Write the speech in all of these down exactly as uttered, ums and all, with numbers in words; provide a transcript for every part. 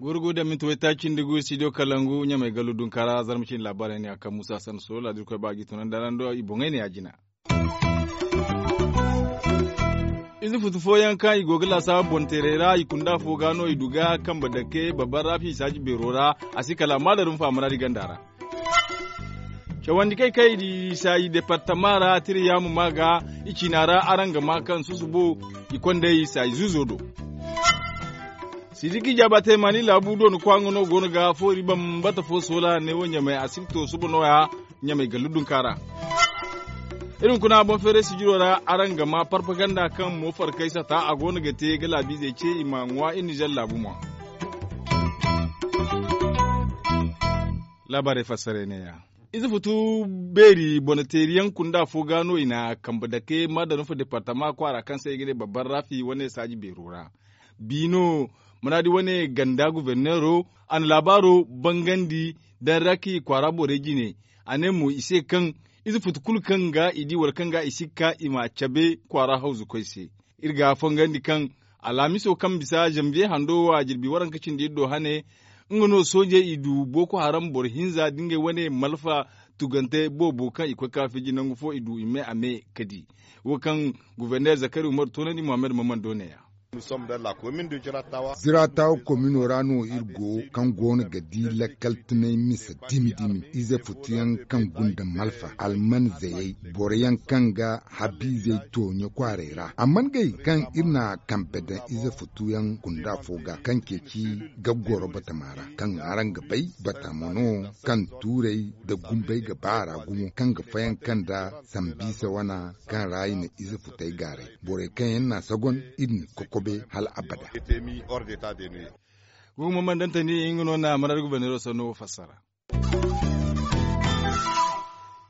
Gurgu da minti waytaaci nda gu studio kalangu ɲamay gallu dunkaara zarma cindi laabaarey ne a kaŋ muusa sanna solo laadirkoy ba ga i tunandi araŋ do i boŋey ne ya jina. Ize futu fooyaŋ kaŋ i go ga laasaabu boŋ teerey ra i kunda fo ga no i du ga kambe dake babban raafi i saaji beero ra. A si kala a ma darum faamara di ganda ra. Cawandi kay kaŋ i di i saayi departama ra tira yaama ma ga i ciina ra araŋ ga ma kaŋ susubo i kondey i saayi zuuzo do. Sidiki jaaba teemani laabu doona kwaŋo no go no ga foori bambata fo soola ne wo ɲamay a si ga to suba nooya. Ɲamay gallu dunka ra. Iri hunkuna boŋ feeray sijiro ra araŋ ga ma parpaganda kaŋ mo farkay sata a go no ga te ga laabiizey ce i ma ŋwa iri nizer laabu mo. Laabaarey fassarey neeya. Ize futu beeri bonateeriyaŋ kunda fo ga no i na kambe dake ma danufa departama kwaara kaŋ se i ga ne babban raafi wane saaji beero ra. Biino manaadi wane ganda guverneero a na laabaaro bangandi daŋ ra kaŋ i kwaara borey jine. A ne mo i se kaŋ ize futu kulu kaŋ ga i di wala kaŋ ga i si ga ka i ma cabe kwaara hawzukoy se. Iri ga fongandi kaŋ alhamiso kaŋ bisa zanbiye hando wo a jirbi waranka cindi iri do hane. Nga no soojey i du boko haram boro hinza da ngey wane malfa tugante boobo kaŋ i koy ka fiji nangu fo i du i me a me ka di. Wo kaŋ guverner zakari umaru toonandi muhammad maman do ne ya. Ziraatawa komino ra no iri go kaŋ go no ga di lakkal tunay misa dimi dimi ize futuyaŋ kaŋ gunda malfa alman zayey boro yaŋ kaŋ ga habiizey tooɲe kwaaray ra amma ngey kaŋ iri na kambe daŋ ize futuyaŋ kunda fo ga kaŋ ceeci gaggoro batama ra kaŋ araŋ ga bay batama no kaŋ tuuray nda gumbey ga ba a ra gumo kaŋ ga fayanka nda sambiisa wana kaŋ ra i na ize futey gaaray borey kaŋ yaŋ na a sagon iri n'i kokobe hala abada. Gumo mandantani nga no na marar guberneero sanno fassara.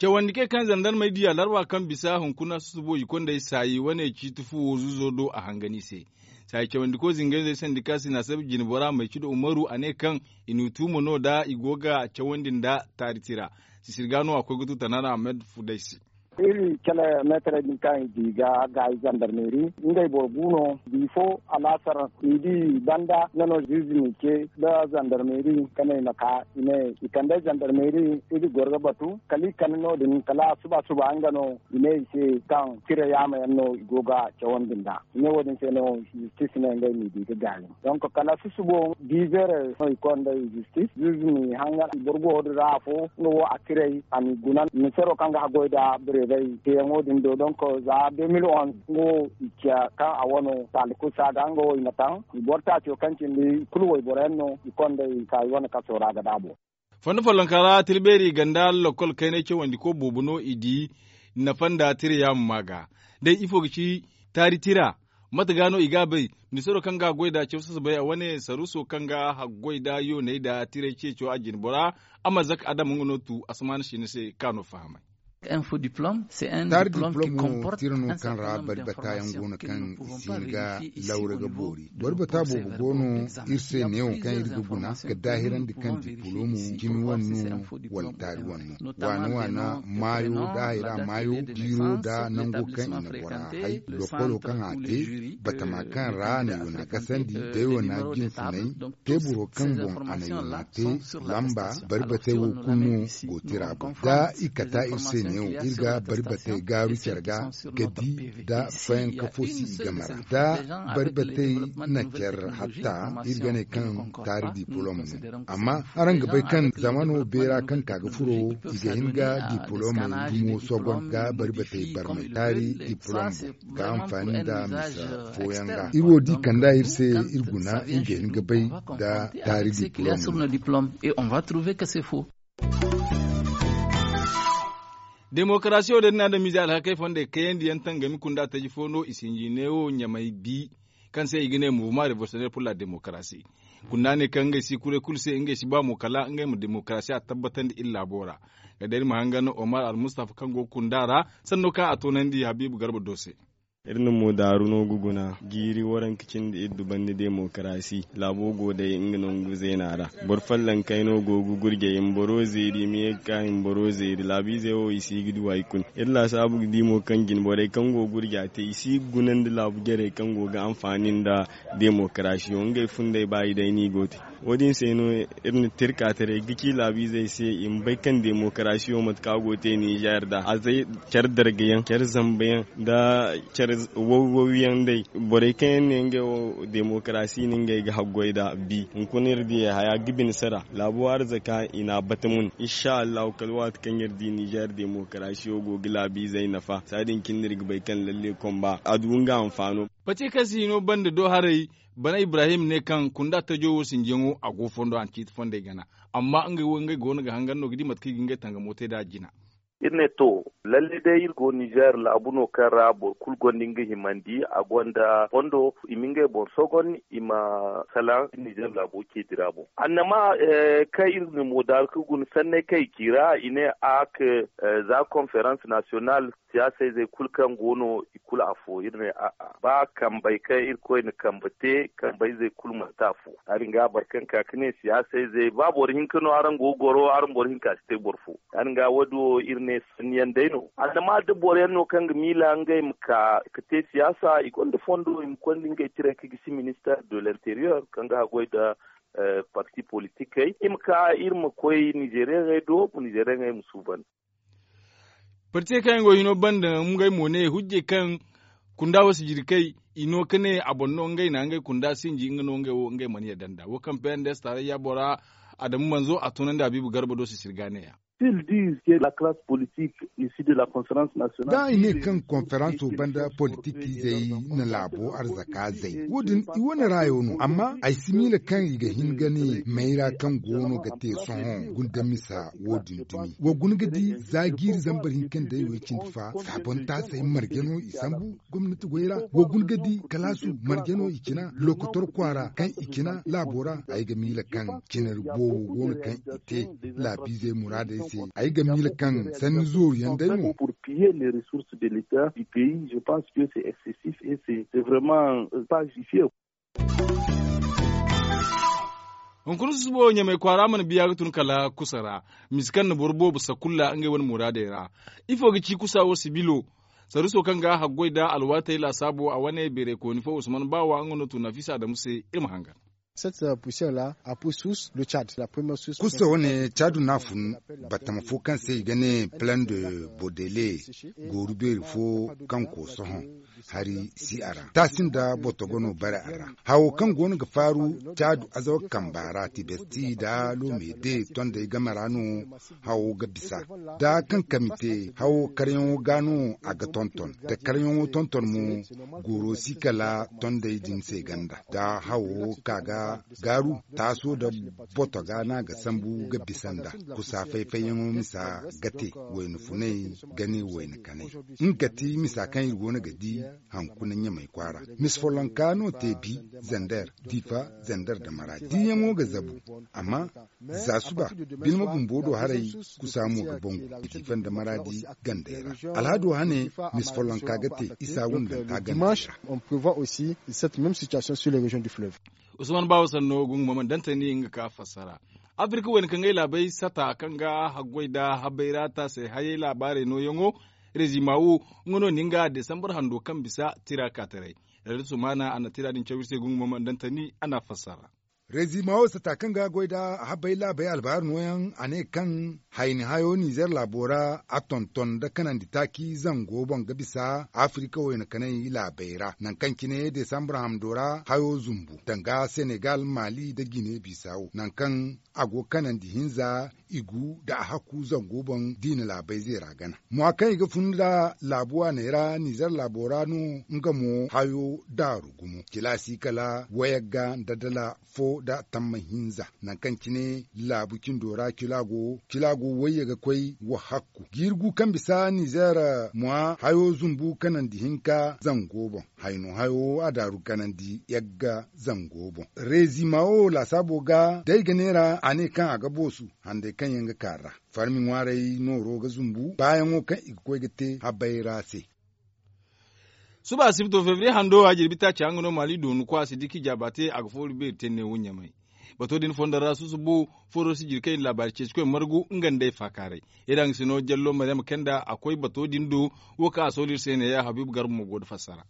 Cawandi kay kaŋ zandarmey di alarba kaŋ bisa hunkuna susubo i kondey saayi wane ciiti fuwo zuzo do a hangan i se. Saayi cawandi koy zinganizey sandika sinaasab jinbora maycido umaru a ne kaŋ i n'u tuuma no da i go ga cawandi nda taari tira. Sisiri ga no a koy ga tu tanaana ahmed fuday se. Iri kala meetarey din kaŋ i di ga gaayi zandarmeeri ngey boro gu no. Bifo alaasar i di banda nga no ziizi n'i ce nda zandarmeeri ka ne i ma ka i ne i kande zandarmeeri. Iri goro ga batu kala i kande no- din kala suba suba nga no i ne i se kaŋ tira yaama yaŋ no i go ga cawandi nd'a. I ne wo- din se no zistis ne ngey m'i di ga gaayi. Donk kala susubo diizeerey no i konda i zistis zuuzu m'i hangan i boro go din ra afo nga wo a tiray a m'i guna misero kaŋ ga haggoy nda bireebey teeyaŋo din do donk za deux mille onze nga wo i ciya kaŋ a wano taali kulu saaga nga wo i na taŋ i boro taaco kaŋ cindi i kulu wayboro yaŋ no i konda i ka i wane kaso ra ga daabo. Fondo follonka ra tira beeri ganda lakkol kaynay cawandiko boobo no i di nafa nda tira yaama ma ga. Day ifo ga ci taari tira? Mate ga no i ga a bay? Ministaro kaŋ ga a goy nd'a caw sasabay a wane saruuso kaŋ ga haggoy nd'a yooney nd'a tiray ceeco a jine bora. Amarzak adam nga no tu asamaana siina se kaŋ a no fahamay. Taari diplom wo tira no kaŋ ra bari bata yaŋ go no kaŋ i si hin ga lawra ga boori. Bari bata boobo go no iri se neewo kaŋ iri ga guna ga daahirandi kaŋ dipolomo cimi wane no wala taari wane no. Waana waana maayo nda hayra maayo jiiro nda nango kaŋ i na bora hay lokolo kaŋ a te batama kaŋ ra a na yoona kasandi day wane jinfunay teeburo kaŋ boŋ a na yoona te lamba bari batey wo kulu no go tira boŋ da i kata iri se neewo iri ga bari batey gaaru care ga ga di da fayanka fo si i game ra da bari batey na care hatta iri ga ne kaŋ taari dipolom no. Amma araŋ ga bay kaŋ zamano beera kaŋ ka ga furo i ga hin ga dipolomey dumo sogon ga bari batey barmay taari dipolom boŋ ga anfaani nda misa fooyaŋ ga iri wo di kanda iri se iri guna iri ga hin ga bay da taari dipolom no. Demokarasiyo da ni na adamize alhakey fondey kayandi yaŋ tangami kunda taji fo no i sinji neewo ɲamay bi kaŋ se i ga ne mouvement revolutionnaire pour la démocratie. Kunda ne kaŋ ngey si kuray kulu se ngey si ba mo kala ngey ma demokarasiya tabbatandi iri laabo ra. Ga day iri ma hangan omar almustafa kaŋ go ga kunda ra sanno kaŋ a toonandi habiibu garba do se. Iri na mo daaru no ga guna jiiri waranka cindi iri dubandi demokarasi. Laabo go day nga nangu zeena ra. Boro follonkey no go ga gurjay i ma boro zeeri i ma ye ga ka i ma boro zeeri laabiizey wo i si ga du hari kulu. Iri laasaabu ga di mo kaŋ jine borey kaŋ go ga gurja te i si ga gunandi laabu jarey kaŋ go ga anfaani nda demokarasi wo ngey fundey ba i day no i go ga te. Wo- din se no iri na te iri kaataray ga ci laabiizey se i ma bay kaŋ demokarasiyo mate kaŋ a go ga te ninzeer da a zay care dargayaŋ care zambayaŋ nda care wawwawyaŋ day. Borey kaŋ yaŋ ne ngey wo demokarasi no ngey ga haggoy nd'a bi hunkuna iri di haya ga bine sara laabo arzaka i n'a bata mun. Insa allahu kala waati kaŋ iri di ninzeer demokarasiyo go ga laabiizey nafa saadin cine no iri ga bay kaŋ lalle komba a du nga hanfaano. Pati kaŋ si hino banda do haray. Bana ibrahim ne kaŋ kunda tajo wo sinjiyaŋo a go fondo a na ciiti fondey gana. Amma ngey wo ngey go no ga hangan no ga di mate kaŋ i ga ngey tangamo te nd'a jina. Iri ne to, lalle day iri go ninzeer laabu no kaŋ ra boro kulu gonda nga himandi a gonda fondo i ma ngey boŋ sogon i ma salaŋ ninzeer laabo ceedi ra boŋ annama kaŋ iri na mo daaru ka guna sanney kaŋ i ci ra i ne a ka za konferans nasiyonal siyaasa izey kulu kaŋ go no i kulu afo iri ne a'a ba kambey kaŋ irkoy na kambe te kambe izey kulu manti afo. Ya- din ga boro kaŋ ka ga ne siyaasa izey ba boro hinka no araŋ go ga goro araŋ boro hinka si te boro fo. Ya- din ga wo- din wo iri ne sanni yaŋ day no annama da boro yaŋ no kaŋ ga miila ngey ma ka ga te siyaasa i gonda fondo i ma konda ngey cire ka gisi minister de l'interieur kaŋ ga haggoy nda parti politikey i ma ka iri ma koy ninzeeriyaŋey do ninzeeriyaŋey ma suuban. Parti kaŋ yaŋ go hino banda ngey mo ne hujjey kaŋ kunda wo si jirkey i no ka ne a boŋ no ngey na ngey kunda sinji nga no ngey wo ngey mana yadda nda wo kaŋ pnds tarayya bora adamu manzo a tunandi habiibu garba do sisirga ne ya. Ils disent que la classe politique ici de la conférence nationale da i ne kaŋ konferanso banda politikizey na laabo arzaka zay wo- din i wane raayo no amma ay si miila kaŋ i ga hin ga ne mayra kaŋ go no ga te sohõ gundamisa wo- din dumi wa guna ga di za jiiri zambar hinka nda ay wo ay cindi fa saabontaasey marje no i sambu gomnati goy ra wa guna ga di kalaasu marje no i cina lokotor kwaara kaŋ i cina laabo ra ay ga miila kaŋ cinari boobo go no kaŋ i te laabiizey muraadey se ay ga miila kaŋ sanni zooru yaŋ day mo. Pour piller les ressources de l'état du pays je pense que c'est excessif et c'est vraiment pas justifié. Hunkuna susubo ɲamay kwaara mana biya ga tun kala kusa ra misi kaŋ na boro boobo sakulla ngey wane muraadey ra. Ifo ga ci kusa wo sibilo saruso kaŋ ga haggoy nda alwaatey laasaabo a wane beerey kooni fo usman baawa nga no tun nafisa adamu se iri ma hangan. Kusa wane caadu no a fun batama fo kaŋ se i ga ne plan de bodele gooru beeri fo kaŋ koo sohõ hari si a ra taasi nda botogo no bare a ra hawo kaŋ go no ga faaru caadu azawa kamba ra tibesti nda lomede tondey game ra no hawo ga bisa da kaŋ kami te hawo karyaŋo ga no a ga tonton da karyaŋo tonton mo gooro si kala tondey din se ganda da hawo ka ga gaaru taaso da boto ga no a ga sambu ga bisa nda kusa fay-fayyaŋo misa ga te wayna funay ga ne wayna kanay nga ga ti misa kaŋ iri go no ga di hankuna ɲamay kwaara misi follonka no te bi zander difa zander da maraadi diyaŋo ga zabu amma za suba bilma bumbo do haray kusa mo ga bangu difa nda maraadi gandey ra alhaado hane misi follonka ga te isa wundanta gandey ra. Usman baawo sanno gungu ma mana dantani nga ka fassara afirka wayna kaŋ ay laabey sata kaŋ ga haggoy nda habay ra taasay hayey laabaarey nooyaŋo rezimawo nga no ni nga desambar hando kaŋ bisa tira kaataray. Radiyo sumaana a na tira din caw iri se gungu ma mana dantani a na fassara. Rezimawo sata kaŋ ga goy nda habay laabey albaari nooyaŋ a ne kaŋ hayni hayo nizer laabo ra a tonton nda kanandi taaci zango boŋ ga bisa afirika wayna kanay laabey ra nangu kaŋ cine desambar hamdo ra hayo zumbu danga senegal maali nda gine bisawo nangu kaŋ a go kanandi hinza i gu nda a hakku zango boŋ diina laabey zeera gana. Mwa kaŋ i ga fun nda laabu waaney ra nizer laabo ra no nga mo hayo daaru gumo cilaasi kala wayagga nda dala fo nda tamma hinza nangu kaŋ cine laabu cindo ra cila go wayye ga koy wa hakku jiiri gu kaŋ bisa nizer mwa hayo zumbu kanandi hinka zango boŋ hayno hayo a daaru kanandi yagga zango boŋ rezima wo laasaabo ga da ay ga neera a ne kaŋ a ga boosu handay kaŋ yaŋ ga kaara farmi ŋwaaray nooro ga zumbu baayaŋo kaŋ i ga koy ga te habay ra se. Suba asibto febriye hando a jirbi taaci haŋ ga no maali doonu kwa sidiki jaaba te a ga foori beeri te neewo ɲamay. Bato din fondo ra susubo fooro si jiri kaŋ i na laabaari ceeci koy margu nga nd'ey faakaaray. Iri haŋ si no jallo maryama kenda a koy bato din do. Wo kaŋ a sooli iri se neeya habiibu garba mo go nda fassara.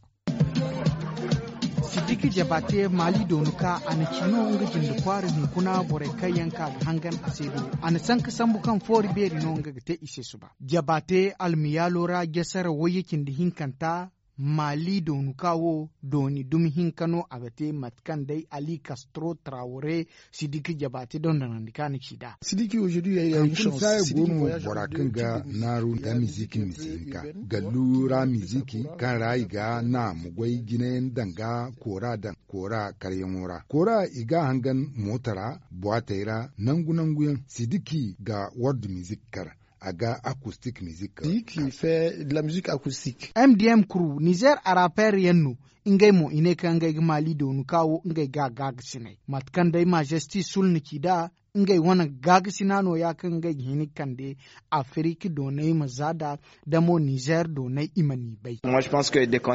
Sidiki jabaate maali doonu ka a na ci no nga jinde kwaara hunkuna borey kaŋ yaŋ ka ga hangan a se do. A na sanka sambu kaŋ foori beeri no nga ga te i se suba jabaate almiyaalo ra jasara wayye cindi hinkanta. Maali doonu ka wo dooni dumi hinka no a ga te mate kaŋ day ali kastro trawore. Sidiki jabaate dondonandi ka na ci nd'a. Hankuna saaya go no bora kaŋ ga naaru nda miziki misi hinka gallu ra miziki kaŋ ra i ga na ma goy jinayaŋ daŋ ga koora daŋ koora karyaŋo ra koora i ga a hangan moota ra buwaatey ra nangu nangu yaŋ sidiki ga wardu mizik kar a ga akustik mizik. M D M kuru nizer araper yaŋ no. Ngey mo i ne kaŋ ngey ga maali doonu ka wo ngey ga a gaagasinay mate kaŋ day majesti sulna ci nd'a. Ngey wane gaagasina no- ya kaŋ ngey ga hin ga kande afirika doonay ma za nd'a. Da mo nizer doonay i ma n'i bay.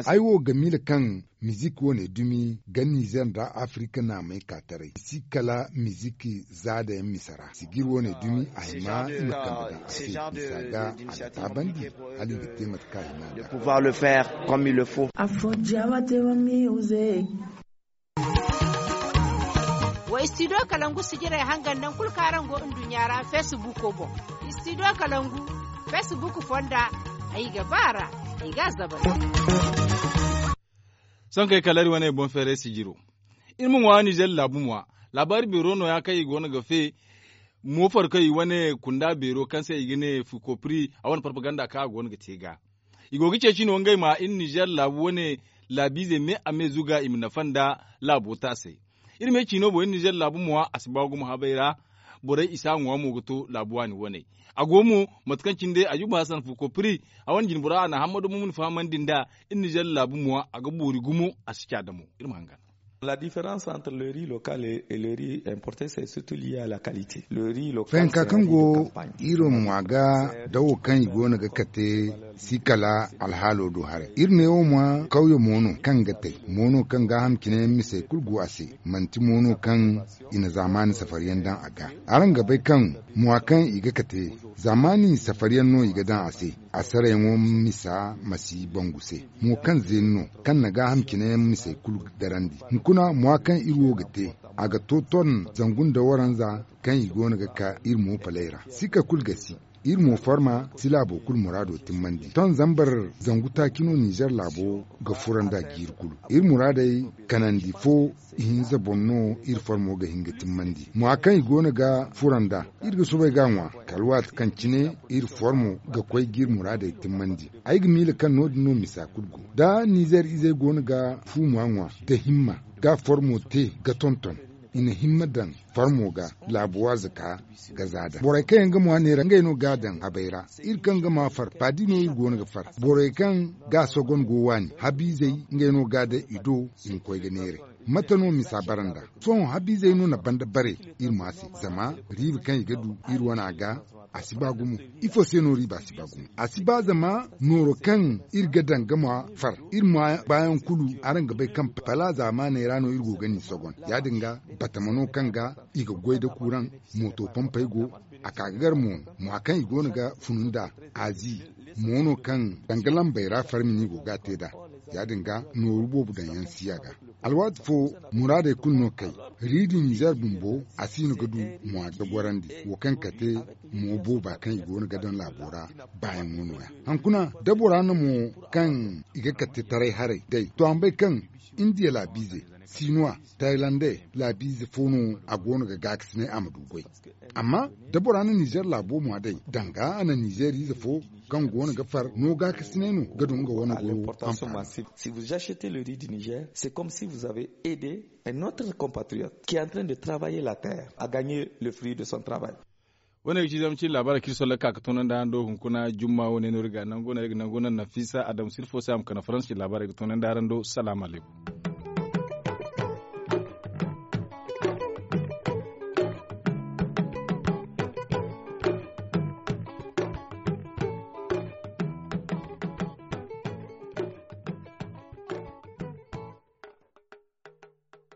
Ay wo ga miila kaŋ mizik wane dumi ga nizer nda afirika naamey ka taray i si kala mizik za nda yaŋ misa ra sijir wane dumi a hima i ma kambe daŋ a se misa ga a ga taabandi hala i ga te mate kaŋ a hima a ga. Afo jawa te wa music. Wa istidiyo kalangu sijirey hangan naŋ kulu kaŋ araŋ go nduɲɲa ra feesibuuko boŋ. Istidiyo kalangu feesibuuko fonda ay ga ba a ra. Ay ga a zabari. Sohõ kaŋ ay kala iri wane boŋ feeray sijiro. Iri ma ŋwa nizer laabu ŋwa laabaari beero nooya kaŋ i go no ga fe. Moofar kaŋ i wane kunda beero kaŋ se i ga ne fukopri a wane parpaganda kaŋ a go no ga te ga. I go ga ceeci no ngey ma iri nizer laabu wane laabiizey me a me zuga i ma nafa nda laabo taasey. Iri me ciino boŋ iri nizer laabu mo a si ba gumo habey ra. Borey i si a ŋwa mo ga to laabu waani waney. A go mo mate kaŋ cine day a juba hasan fuko pri a wane jinbora a na hammado mo ma ni fahamandi nd'a. Iri nizer laabu mo a ga boori gumo a si ca damo. Iri ma hangan. La différence entre le riz local et le riz importe c'est surtout lié à la qualité. Le riz local fayanka kaŋ go iri ŋwa ga dawo kaŋ i go no ga kate si kala alhaalo do haray iri ne wo ma kawya mo no kaŋ ga tay mo no kaŋ gaaham cine misey kulu go a se. Manti mo no kaŋ i na zaamaani safariyaŋ daŋ a ga. Araŋ ga bay kaŋ mo a kaŋ i ga kate zaamaani safariyaŋ no i ga daŋ a se. A sarayaŋo misa ma si bangu se mo kaŋ zeeni no kaŋ na gaaham cine misey kulu darandi. Hunkuna mo a kaŋ iri wo ga te a ga to ton zangu nda waranza kaŋ i go no ga ka iri mo palay ra sika kulu ga si. Iri mo farma si laabo kulu muraado timmandi ton zambar zangu taaci no nizer laabo ga fura nda jiiri kulu. Iri muraadey kanandi fo ihinza boŋ no iri farmo ga hin ga timmandi mo a kaŋ i go no ga fura nda iri ga soobay ga a ŋwa kala waati kaŋ cine iri farmo ga koy ga iri muraadey timmandi. Ay ga miila kaŋ no- din no misa kulu go da nizer izey go no ga fuuma ŋwa nda himma ga farmo te ga tonton i na himma daŋ farmo ga laabo waaza ka ga za daŋ borey kaŋ yaŋ ga ŋwa neera ngey no ga a daŋ habey ra. Iri kaŋ ga maa far baadi no iri go no ga far borey kaŋ ga a sogon go waani habiizey ngey no ga a daŋ i do i ma koy ga neeray. Mate no misa bara nd'a sohõ habiizey no na banda bare iri ma se zama riiba kaŋ i ga du iri wana ga a si ba gumo. Ifo se no riiba si ba gumo a si ba zama nooro kaŋ iri ga daŋ ga ma far iri ma baayaŋ kulu araŋ ga bay kaŋ pala zaamaaney ra no iri go ga ni sogon ya- din ga batama no kaŋ ga i ga goy nda kuuraŋ mooto pompey go. A ka ga gar mo mo a kaŋ i go no ga funu nd'a azi mo no kaŋ danga lambey ra farmi no i go ga a te nd'a. Ya- din ga nooru boobo daŋ yaŋ si a ga alwaati fo muraadey kulu no kay riidi nizer bumbo a si no ga du mo a ga gorandi wo kaŋ kate mo booba kaŋ i go no ga daŋ laabo ra baayaŋo nooya. Hankuna da bora no mo kaŋ i ga kate taray haray day to a ma bay kaŋ indiya laabiize sinuwa taylandey laabiize fo no a go no ga gaakasinay a ma du goy. Amma da bora na nizer laabo mo a day danga a na nizer ize fo kaŋ go no ga far no gaakasinay no ga du nga wane goro amfaani. Si vous achetez le riz du niger c'est comme si vous avez aidé un autre compatriote qui est en train de travailler la terre à gagner le fruit de son travail. Wane ga ci zama cin labaara kaŋ iri solla ka ga toonandi araŋ do hunkuna jumma wane no iri ga nangu no iri ga nangu no nafisa adamu sirfo se a ma kana faransi cin labaara ga toonandi araŋ do salaamu alaykum.